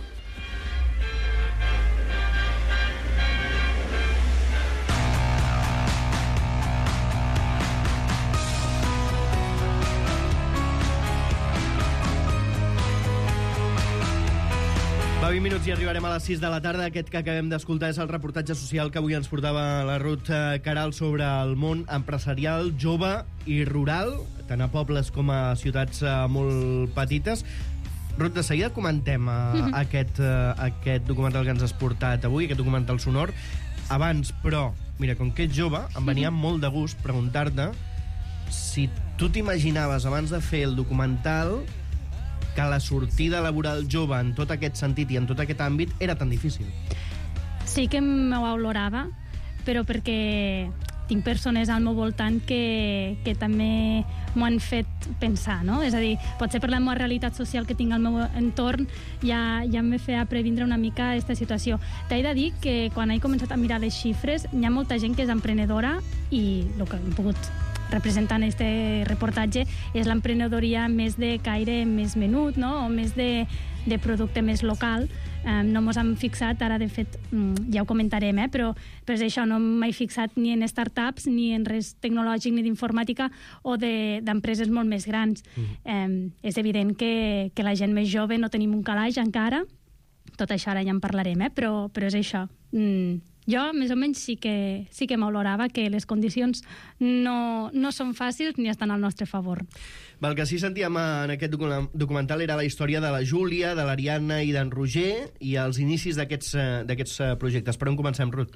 Va, vint minuts i arribarem a les sis de la tarda. Aquest que acabem d'escoltar és el reportatge social que avui ens portava la Ruth Queralt sobre el món empresarial, jove i rural, tant a pobles com a ciutats molt petites. Ruth, de seguida comentem uh, aquest, uh, aquest documental que ens has portat avui, aquest documental sonor. Abans, però, mira, com que ets jove, em venia molt de gust preguntar-te si tu t'imaginaves, abans de fer el documental, que la sortida laboral jove en tot aquest sentit i en tot aquest àmbit era tan difícil. Sí que m'ho valorava, però perquè tinc persones al meu voltant que, que també m'ho han fet pensar, no? És a dir, potser per la meva realitat social que tinc al meu entorn ja, ja em fa previndre una mica aquesta situació. T'he de dir que quan he començat a mirar les xifres hi ha molta gent que és emprenedora i el que hem pogut representar en este reportatge és l'emprenedoria més de caire més menut, no? O més de, de producte més local. Um, no mos hem fixat, ara de fet um, ja ho comentarem, eh? però, però és això, no m'he fixat ni en startups, ni en res tecnològic, ni d'informàtica o d'empreses de, molt més grans. Mm. Um, és evident que, que la gent més jove no tenim un calaix encara, tot això ara ja en parlarem, eh? però, però és això. Mm. Jo, més o menys, sí que, sí que m'olorava que les condicions no, no són fàcils ni estan al nostre favor. El que sí sentíem en aquest documental era la història de la Júlia, de l'Ariadna i d'en Roger i els inicis d'aquests projectes. Per on comencem, Ruth?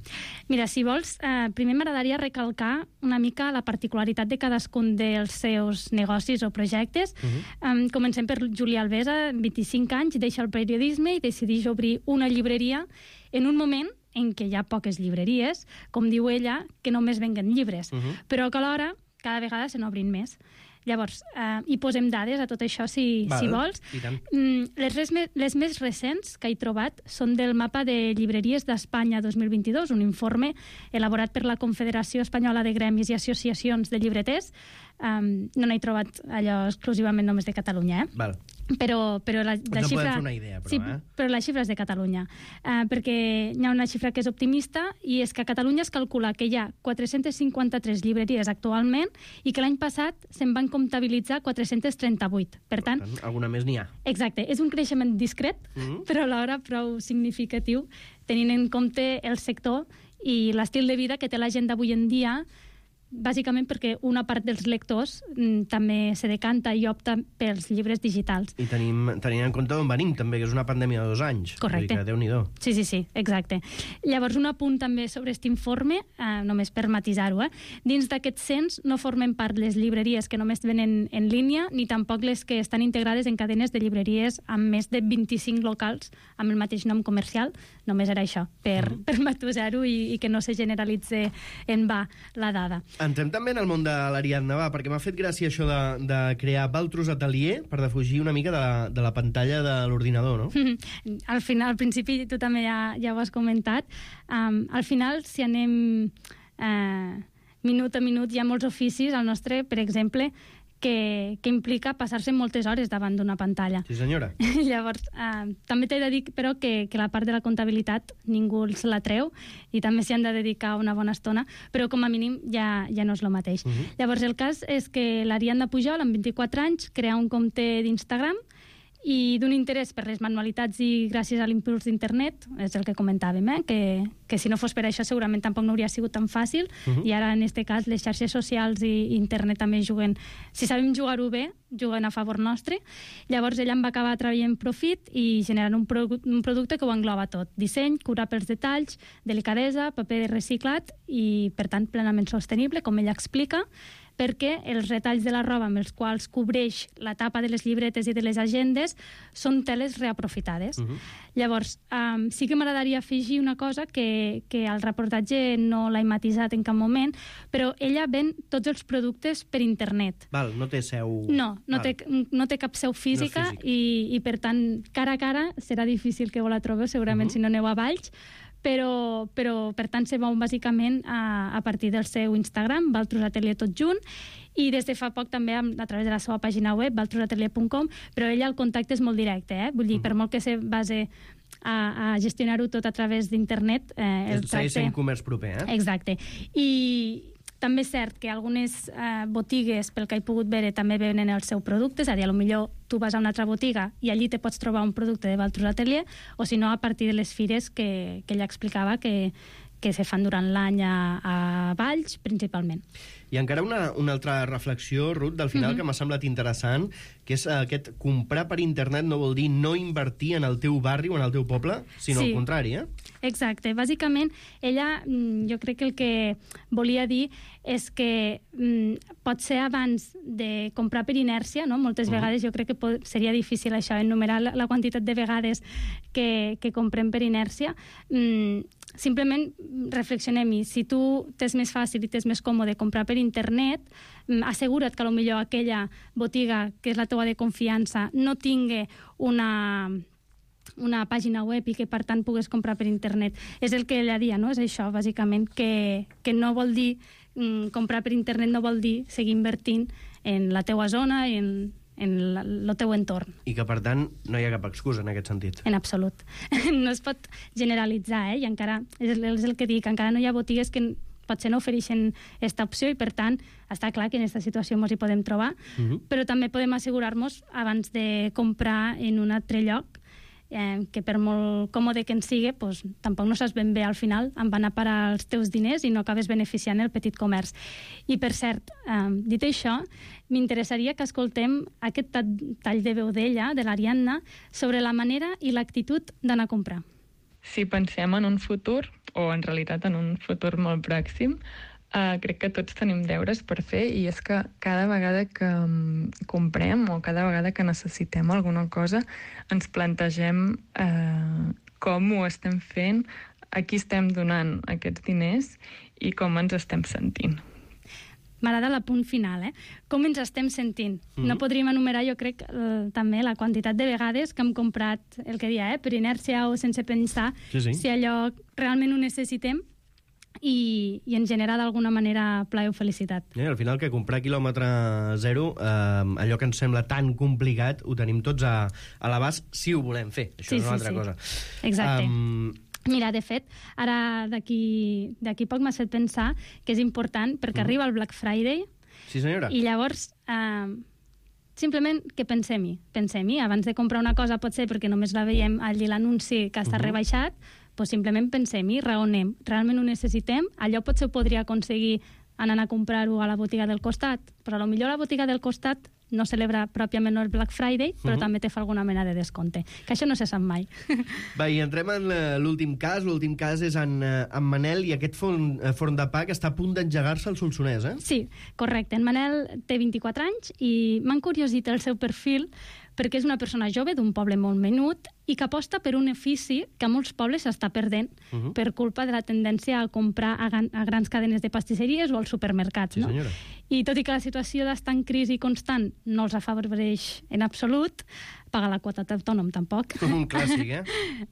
Mira, si vols, eh, primer m'agradaria recalcar una mica la particularitat de cadascun dels seus negocis o projectes. Uh-huh. um, comencem per Júlia Alvesa, vint-i-cinc anys, deixa el periodisme i decideix obrir una llibreria en un moment en què hi ha poques llibreries, com diu ella, que només venguen llibres, uh-huh. però que alhora cada vegada se n'obrin més. Llavors, eh, hi posem dades a tot això, si, Val, si vols. Mm, les, res, les més recents que he trobat són del mapa de llibreries d'Espanya dos mil vint-i-dos, un informe elaborat per la Confederació Espanyola de Gremis i Associacions de Llibreters. Um, no n'he trobat allò exclusivament només de Catalunya, eh? Val. Però, però la, la no xifra... fer una idea, però, sí, eh? però la xifra és de Catalunya. Uh, perquè hi ha una xifra que és optimista i és que a Catalunya es calcula que hi ha quatre-centes cinquanta-tres llibreries actualment i que l'any passat se'n van comptabilitzar quatre-centes trenta-vuit. Per tant, per tant alguna més n'hi ha. Exacte. És un creixement discret, mm-hmm. però alhora prou significatiu, tenint en compte el sector i l'estil de vida que té la gent d'avui en dia, bàsicament perquè una part dels lectors mm, també se decanta i opta pels llibres digitals. I tenim, tenim en compte d'on venim, també, que és una pandèmia de dos anys. Correcte. Déu-n'hi-do. Sí, sí, sí, exacte. Llavors, un apunt també sobre aquest informe, eh, només per matisar-ho, eh? Dins d'aquest cens no formen part les llibreries que només venen en línia, ni tampoc les que estan integrades en cadenes de llibreries amb més de vint-i-cinc locals amb el mateix nom comercial. Només era això, per, mm. per matusar-ho i, i que no se generalitze en va la dada. Entrem també en el món de l'Ariadna, va, perquè m'ha fet gràcia això de, de crear Baltros Atelier per defugir una mica de la, de la pantalla de l'ordinador, no? Al final, al principi, tu també ja, ja ho has comentat, um, al final, si anem uh, minut a minut, hi ha molts oficis al nostre, per exemple, que, que implica passar-se moltes hores davant d'una pantalla. Sí, senyora. Llavors, eh, també t'he de dir, però, que, que la part de la comptabilitat ningú se la treu i també s'hi han de dedicar una bona estona, però com a mínim ja, ja no és el mateix. Uh-huh. Llavors, el cas és que l'Ariadna Pujol, amb vint-i-quatre anys, crea un compte d'Instagram i d'un interès per les manualitats i gràcies a l'impuls d'internet, és el que comentàvem, eh? que, que si no fos per això segurament tampoc no hauria sigut tan fàcil, uh-huh. i ara en aquest cas les xarxes socials i internet també juguen, si sabem jugar-ho bé, juguen a favor nostre. Llavors ella em va acabar traient profit i generant un, pro un producte que ho engloba tot: disseny, cura pels detalls, delicadesa, paper reciclat i per tant plenament sostenible, com ella explica, perquè els retalls de la roba amb els quals cobreix la tapa de les llibretes i de les agendes són teles reaprofitades. Uh-huh. Llavors, um, sí que m'agradaria afegir una cosa que, que al reportatge no l'he matisat en cap moment, però ella ven tots els productes per internet. Val, no té seu... No, no, té, no té cap seu física, no i, i per tant, cara a cara serà difícil que vos la trobeu, segurament, uh-huh. si no aneu a Valls, però, però per tant se mou bàsicament a, a partir del seu Instagram, Valtros Atelier tot junt, i des de fa poc també a, a través de la seva pàgina web, valtros atelier punt com, però ella el contacte és molt directe, eh? Vull dir, per molt que se base a, a gestionar-ho tot a través d'internet... Eh, el tracte... Segueix sent comerç proper, eh? Exacte. I també és cert que algunes eh, botigues, pel que he pogut veure, també venen el seu producte, és a dir, potser tu vas a una altra botiga i allí te pots trobar un producte de Valtros Atelier, o si no, a partir de les fires que, que ella explicava que, que se fan durant l'any a, a Valls, principalment. I encara una, una altra reflexió, Ruth, del final, mm-hmm. que m'ha semblat interessant, que és aquest comprar per internet no vol dir no invertir en el teu barri o en el teu poble, sinó sí. al contrari, eh? Exacte. Bàsicament, ella, jo crec que el que volia dir és que mm, pot ser abans de comprar per inèrcia, no? Moltes uh-huh. vegades jo crec que pot, seria difícil això, enumerar la, la quantitat de vegades que, que comprem per inèrcia. Mm, simplement reflexionem-hi. Si tu t'és més fàcil i t'és més còmode comprar per internet, assegura't que potser aquella botiga, que és la teua de confiança, no tingui una... una pàgina web i que per tant pugues comprar per internet. És el que ella dia, no? És això, bàsicament, que, que no vol dir mm, comprar per internet no vol dir seguir invertint en la teua zona i en, en la, el teu entorn. I que, per tant, no hi ha cap excusa en aquest sentit. En absolut. No es pot generalitzar, eh? I encara, és el, és el que dic, encara no hi ha botigues que potser no ofereixen aquesta opció i, per tant, està clar que en aquesta situació ens hi podem trobar, uh-huh. però també podem assegurar-nos abans de comprar en un altre lloc Eh, que per molt còmode que en sigui, pues, tampoc no saps ben bé al final on van a parar els teus diners i no acabes beneficiant el petit comerç. I per cert, eh, dit això, m'interessaria que escoltem aquest tall de veu d'ella, de l'Ariadna, sobre la manera i l'actitud d'anar a comprar. Si pensem en un futur, o en realitat en un futur molt pròxim, Uh, crec que tots tenim deures per fer, i és que cada vegada que um, comprem o cada vegada que necessitem alguna cosa ens plantegem uh, com ho estem fent, a qui estem donant aquests diners i com ens estem sentint. M'agrada l'apunt final, eh? Com ens estem sentint. Mm-hmm. No podríem enumerar, jo crec, eh, també la quantitat de vegades que hem comprat, el que dia, eh? per inèrcia o sense pensar sí, sí. si allò realment ho necessitem, i, i en genera d'alguna manera plaer o felicitat. I al final que comprar quilòmetre zero, eh, allò que ens sembla tan complicat, ho tenim tots a, a l'abast si ho volem fer. Això sí, és una sí, altra sí. cosa. Exacte. Um... Mira, de fet, ara d'aquí d'aquí poc m'has fet pensar que és important perquè mm. arriba el Black Friday. Sí, senyora. I llavors, eh, simplement que pensem-hi. Pensem-hi. Abans de comprar una cosa, pot ser perquè només la veiem allí l'anunci que està mm-hmm. rebaixat, pues simplement pensem-hi, raonem. Realment ho necessitem? Allò potser ho podria aconseguir anant a comprar-ho a la botiga del costat, però potser la botiga del costat no celebra pròpiament el Black Friday, però uh-huh. també te fa alguna mena de descompte, que això no se sap mai. Va, i entrem en l'últim cas. L'últim cas és en, en Manel i aquest forn, forn de pa que està a punt d'engegar-se al Solsonès, eh? Sí, correcte. En Manel té vint-i-quatre anys i m'ha encuriosit el seu perfil perquè és una persona jove d'un poble molt menut i que aposta per un ofici que a molts pobles s'està perdent uh-huh. per culpa de la tendència a comprar a, gran, a grans cadenes de pastisseries o als supermercats. Sí, no? senyora. I tot i que la situació d'estar en crisi constant no els afavoreix en absolut, pagar la quota d'autònom tampoc. Un clàssic, eh?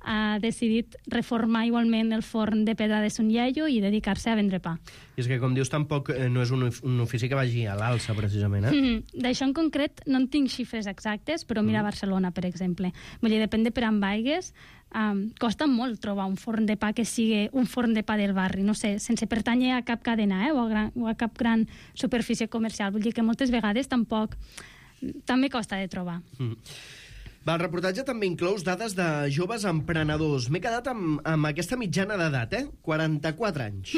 Ha decidit reformar igualment el forn de pedra de Son Iaio i dedicar-se a vendre pa. I és que, com dius, tampoc eh, no és un, un ofici que vagi a l'alça, precisament, eh? Mm-hmm. D'això en concret no en tinc xifres exactes, però mira mm. Barcelona, per exemple. Vull dir, depèn de per on vaigues, um, costa molt trobar un forn de pa que sigui un forn de pa del barri, no sé, sense pertànyer a cap cadena, eh, o, a gran, o a cap gran superfície comercial. Vull dir que moltes vegades tampoc també costa de trobar. Mm. Va, el reportatge també inclous dades de joves emprenedors. M'he quedat amb, amb aquesta mitjana d'edat, eh? quaranta-quatre anys.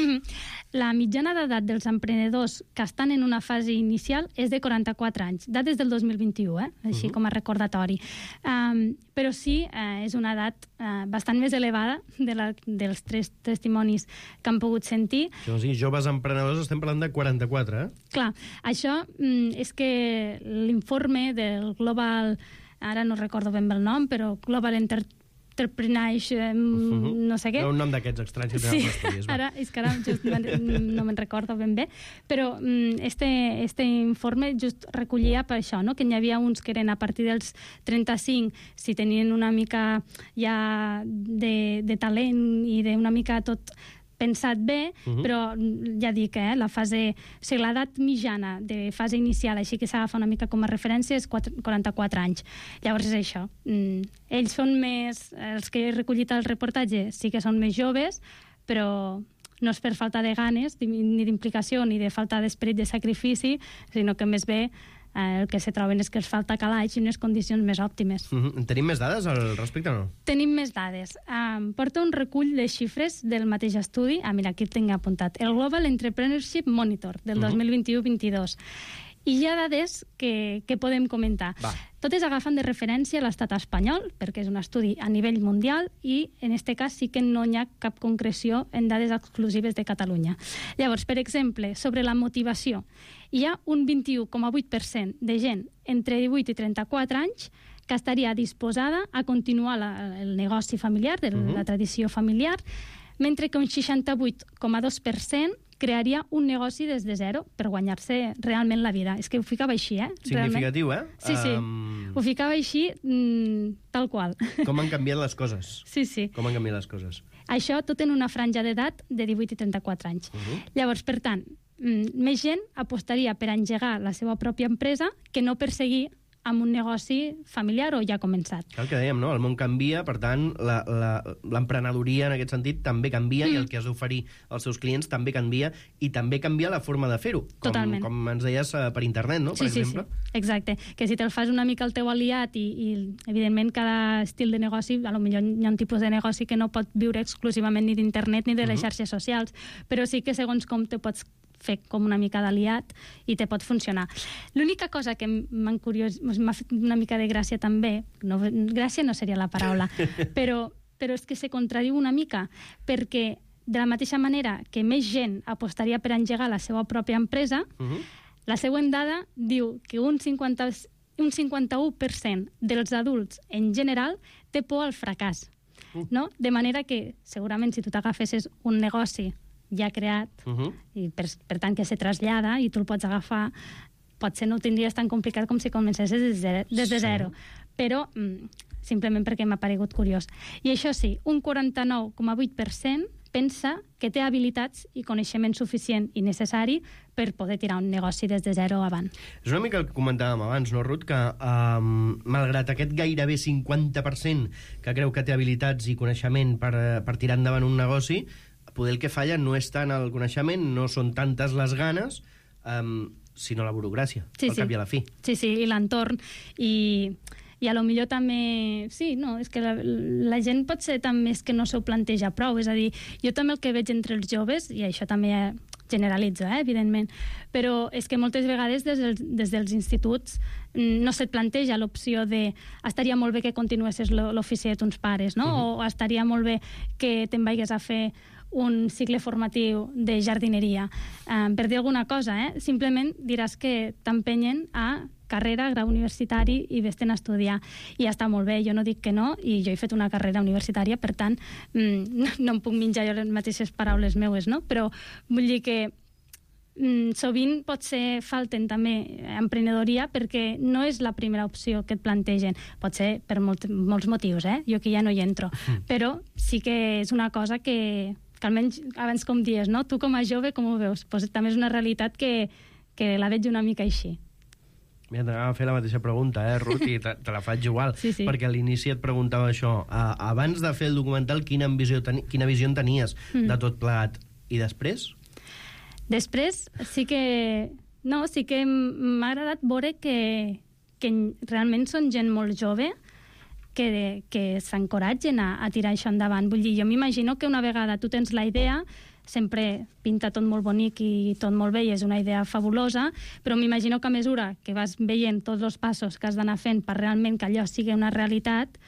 La mitjana d'edat dels emprenedors que estan en una fase inicial és de quaranta-quatre anys, dades del dos mil vint-i-u, eh? Així uh -huh. com a recordatori. Um, però sí, eh, és una edat eh, bastant més elevada de la, dels tres testimonis que han pogut sentir. O sigui, joves emprenedors, estem parlant de quaranta-quatre, eh? Clar, això mm, és que l'informe del Global, ara no recordo ben bé el nom, però Global Entrepreneurship, eh, uh-huh. no sé què. Hi ha un nom d'aquests estranys que sí. tenen els estudis. Ara, és que ara just no me'n recordo ben bé, però mm, este, este informe just recollia per això, no? Que n'hi havia uns que eren a partir dels trenta-cinc, si tenien una mica ja de, de talent i d'una mica tot pensat bé, uh-huh. però ja dic, eh, la fase, o sigui, l'edat mitjana de fase inicial, així que s'agafa una mica com a referència, és quaranta-quatre anys. Llavors és això. Mm, ells són més, els que he recollit al reportatge sí que són més joves, però no és per falta de ganes, ni d'implicació, ni de falta d'esperit de sacrifici, sinó que més bé eh, el que se troben és que els falta calaix i unes condicions més òptimes. Uh-huh. Tenim més dades al respecte o no? Tenim més dades. Um, porta un recull de xifres del mateix estudi. Ah, mira, aquí el tinc apuntat. El Global Entrepreneurship Monitor, del uh-huh. dos mil vint-i-u vint-i-dos. I hi ha dades que, que podem comentar. Va. Totes agafen de referència a l'estat espanyol, perquè és un estudi a nivell mundial i, en aquest cas, sí que no hi ha cap concreció en dades exclusives de Catalunya. Llavors, per exemple, sobre la motivació, hi ha un vint-i-u coma vuit per cent de gent entre divuit i trenta-quatre anys que estaria disposada a continuar la, el negoci familiar, de uh-huh. la tradició familiar, mentre que un seixanta-vuit coma dos per cent crearia un negoci des de zero per guanyar-se realment la vida. És que ho ficava així, eh? Significatiu, realment. eh? Sí, sí. Um... Ho ficava així, mm, tal qual. Com han canviat les coses. Sí, sí. Com han canviat les coses. Això tot en una franja d'edat de divuit i trenta-quatre anys. Uh-huh. Llavors, per tant, mm, més gent apostaria per engegar la seva pròpia empresa que no per seguir amb un negoci familiar o ja començat. El que dèiem, no? El món canvia, per tant, l'emprenedoria en aquest sentit també canvia mm. i el que has d'oferir als seus clients també canvia i també canvia la forma de fer-ho. Com, Totalment. Com ens deies per internet, no? Per sí, exemple. Sí, sí, exacte. Que si te'l fas una mica el teu aliat i, i evidentment, cada estil de negoci, a lo millor hi ha un tipus de negoci que no pot viure exclusivament ni d'internet ni de les mm-hmm. xarxes socials, però sí que segons com te pots fer com una mica d'aliat i te pot funcionar. L'única cosa que m'ha curiós, m'ha fet una mica de gràcia també, no, gràcia no seria la paraula, però, però és que se contradiu una mica, perquè de la mateixa manera que més gent apostaria per engegar la seva pròpia empresa, uh-huh. la següent dada diu que un cinquanta, un cinquanta-u per cent dels adults en general té por al fracàs. Uh. No? De manera que segurament si tu t'agafessis un negoci ja creat, uh-huh. i per, per tant que se trasllada i tu el pots agafar, potser no ho tindries tan complicat com si comencessis des de, des de zero. Sí. Però mm, simplement perquè m'ha paregut curiós. I això sí, un quaranta-nou coma vuit per cent pensa que té habilitats i coneixement suficient i necessari per poder tirar un negoci des de zero avant. És una mica el que comentàvem abans, no, Ruth? Que um, malgrat aquest gairebé cinquanta per cent que creu que té habilitats i coneixement per, per tirar endavant un negoci, poder el que falla no és tant el coneixement, no són tantes les ganes, um, sinó la burocràcia, sí, al sí. cap i a la fi. Sí, sí, i l'entorn. I, i a lo millor també... Sí, no, és que la, la gent pot ser també que no s'ho planteja prou. És a dir, jo també el que veig entre els joves, i això també generalitza, eh, evidentment, però és que moltes vegades des dels, des dels instituts no se't planteja l'opció de estaria molt bé que continuessis l'ofici de tons pares, no? Uh-huh. O estaria molt bé que te'n vagis a fer un cicle formatiu de jardineria. Um, per dir alguna cosa, eh? Simplement diràs que t'empenyen a carrera, grau universitari i vés-te'n a estudiar. I ja està molt bé, jo no dic que no, i jo he fet una carrera universitària, per tant, mm, no em puc menjar jo les mateixes paraules meues, no? Però vull dir que mm, sovint potser falten també emprenedoria perquè no és la primera opció que et plantegen. Pot ser per molt, molts motius, eh? Jo aquí ja no hi entro. Mm. Però sí que és una cosa que, que almenys abans com dies, no? Tu com a jove com ho veus? Pues també és una realitat que, que la veig una mica així. Mira, t'anava a fer la mateixa pregunta, eh, Ruth, i te, te la faig igual, sí, sí. perquè a l'inici et preguntava això. A, abans de fer el documental, quina visió, teni, quina visió en tenies mm. de tot plegat? I després? Després sí que... No, sí que m'ha agradat veure que, que realment són gent molt jove que, que s'encoratgen a, a tirar això endavant. Vull dir, jo m'imagino que una vegada tu tens la idea, sempre pinta tot molt bonic i tot molt bé i és una idea fabulosa, però m'imagino que a mesura que vas veient tots els passos que has d'anar fent per realment que allò sigui una realitat,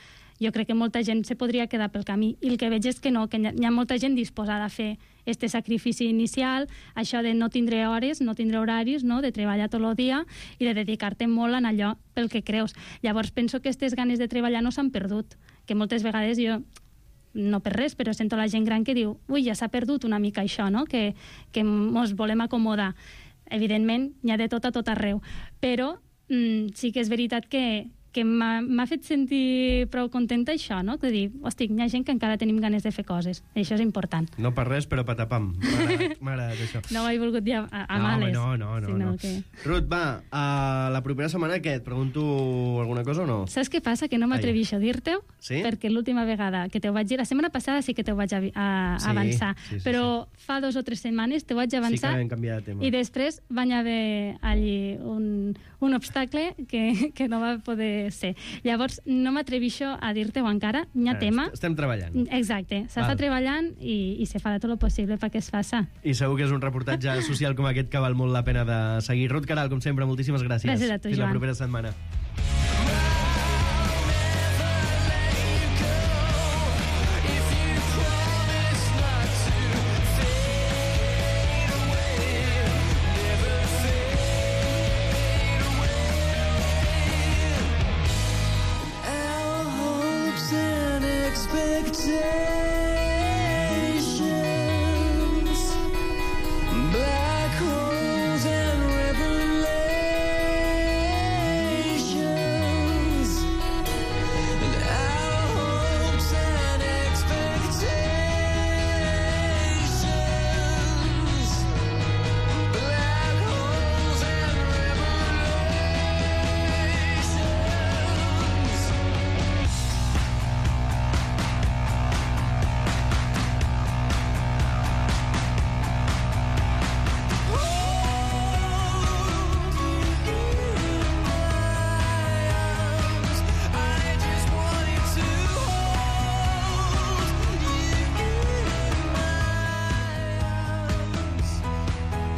jo crec que molta gent se podria quedar pel camí. I el que veig és que no, que hi ha molta gent disposada a fer este sacrifici inicial, això de no tindre hores, no tindre horaris, no? De treballar tot el dia i de dedicar-te molt en allò pel que creus. Llavors penso que aquestes ganes de treballar no s'han perdut, que moltes vegades jo, no per res, però sento la gent gran que diu ui, ja s'ha perdut una mica això, no? Que, que mos volem acomodar. Evidentment, n'hi ha de tot a tot arreu, però mm, sí que és veritat que que m'ha fet sentir prou contenta això, no? De dir, hosti, hi ha gent que encara tenim ganes de fer coses. I això és important. No per res, però patapam. M'ha agradat això. No ho he volgut dir a, a no, males. No, no, no. no. Que... Ruth, va, a la propera setmana què? Et pregunto alguna cosa o no? Saps què passa? Que no m'atreveixo a dir-te-ho, sí? Perquè l'última vegada que te ho vaig dir, la setmana passada sí que te ho vaig a, a, sí, avançar, sí, sí, però sí. fa dos o tres setmanes te ho vaig avançar sí que vam canviar de tema. I després va haver allí un, un obstacle que, que no va poder ser. Llavors, no m'atreveixo a dir-te-ho encara, n'hi ha ah, tema. Estem treballant. Exacte, s'està treballant i, i se farà tot el possible perquè es faça. I segur que és un reportatge social com aquest que val molt la pena de seguir. Ruth Queralt, com sempre, moltíssimes gràcies. Gràcies a tu, Fins Joan. la propera setmana.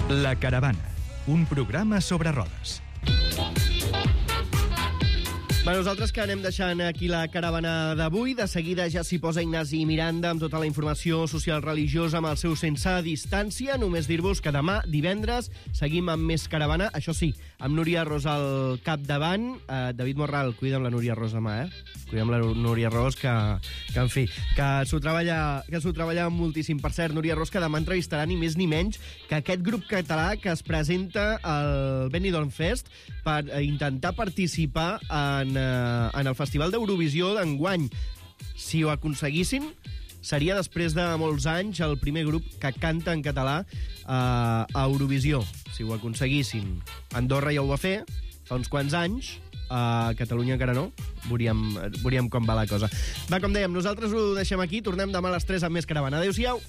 La Caravana, un programa sobre rodes. Bé, nosaltres que anem deixant aquí la caravana d'avui. De seguida ja s'hi posa Ignasi Miranda amb tota la informació social religiosa amb el seu Sense Distància. Només dir-vos que demà, divendres, seguim amb més caravana. Això sí, amb Núria Ros al capdavant. Uh, David Morral, cuida amb la Núria Ros demà, eh? Cuida amb la Núria Ros, que, que en fi, que s'ho treballa, que s'ho treballa moltíssim. Per cert, Núria Ros, que demà entrevistarà ni més ni menys que aquest grup català que es presenta al Benidorm Fest per intentar participar en en el Festival d'Eurovisió d'enguany. Si ho aconseguissin, seria després de molts anys el primer grup que canta en català eh, a Eurovisió. Si ho aconseguissin. Andorra ja ho va fer fa uns quants anys, a Catalunya encara no. Veuríem, veuríem com va la cosa. Va, com dèiem, nosaltres ho deixem aquí. Tornem demà a les tres amb més caravana. Adéu-siau.